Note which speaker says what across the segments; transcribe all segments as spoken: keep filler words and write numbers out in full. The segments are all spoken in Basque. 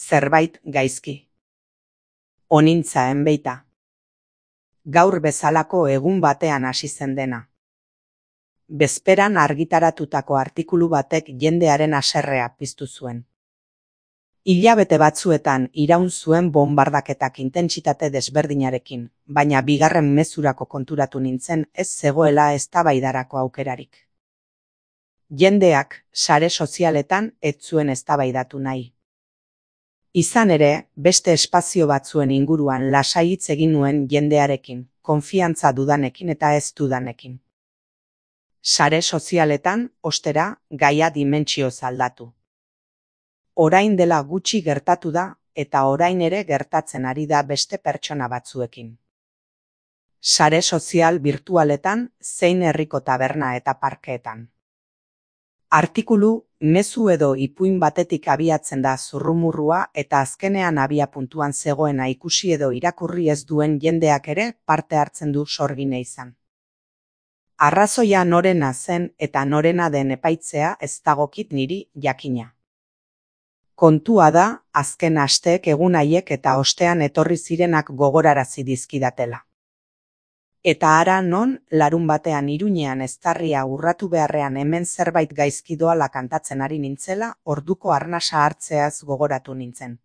Speaker 1: Zerbait gaizki. Onintza enbeita. Gaur bezalako egun batean hasi zen dena. Bezperan argitaratutako artikulu batek jendearen haserrea piztu zuen. Hilabete batzuetan iraun zuen bonbardaketak intentsitate desberdinarekin, baina bigarren mezurako konturatu nintzen ez zegoela eztabaidarako aukerarik. Jendeak sare sozialetan ez zuen eztabaidatu nahi. Izan ere, beste espazio batzuen inguruan lasai hitz egin nuen jendearekin, konfiantza dudanekin eta ez dudanekin. Sare sozialetan, ostera, gaia dimentsioz aldatu. Orain dela gutxi gertatu da, eta orain ere gertatzen ari da beste pertsona batzuekin. Sare sozial birtualetan, zein herriko taberna eta parkeetan. Artikulu, mezu edo ipuin batetik abiatzen da zurrumurrua eta azkenean abia puntuan zegoena ikusi edo irakurri ez duen jendeak ere parte hartzen du sorgine izan. Arrazoia norena zen eta norena den epaitzea ez dagokit niri jakina. Kontua da, azken asteek egun haiek eta ostean etorri zirenak gogorarazi dizkidatela. Eta hara non, larun batean Iruñean eztarria urratu beharrean hemen zerbait gaizki doala kantatzen ari nintzela, orduko arnasa hartzeaz gogoratu nintzen.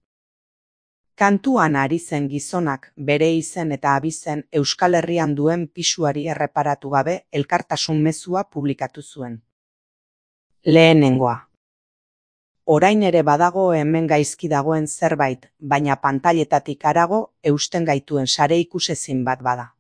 Speaker 1: Kantuan ari zen gizonak bere izen eta abizen Euskal Herrian duen pisuari erreparatu gabe elkartasun mezua publikatu zuen. Lehenengoa. Orain ere badago hemen gaizki dagoen zerbait, baina pantailetatik harago eusten gaituen sare ikusezin bat bada.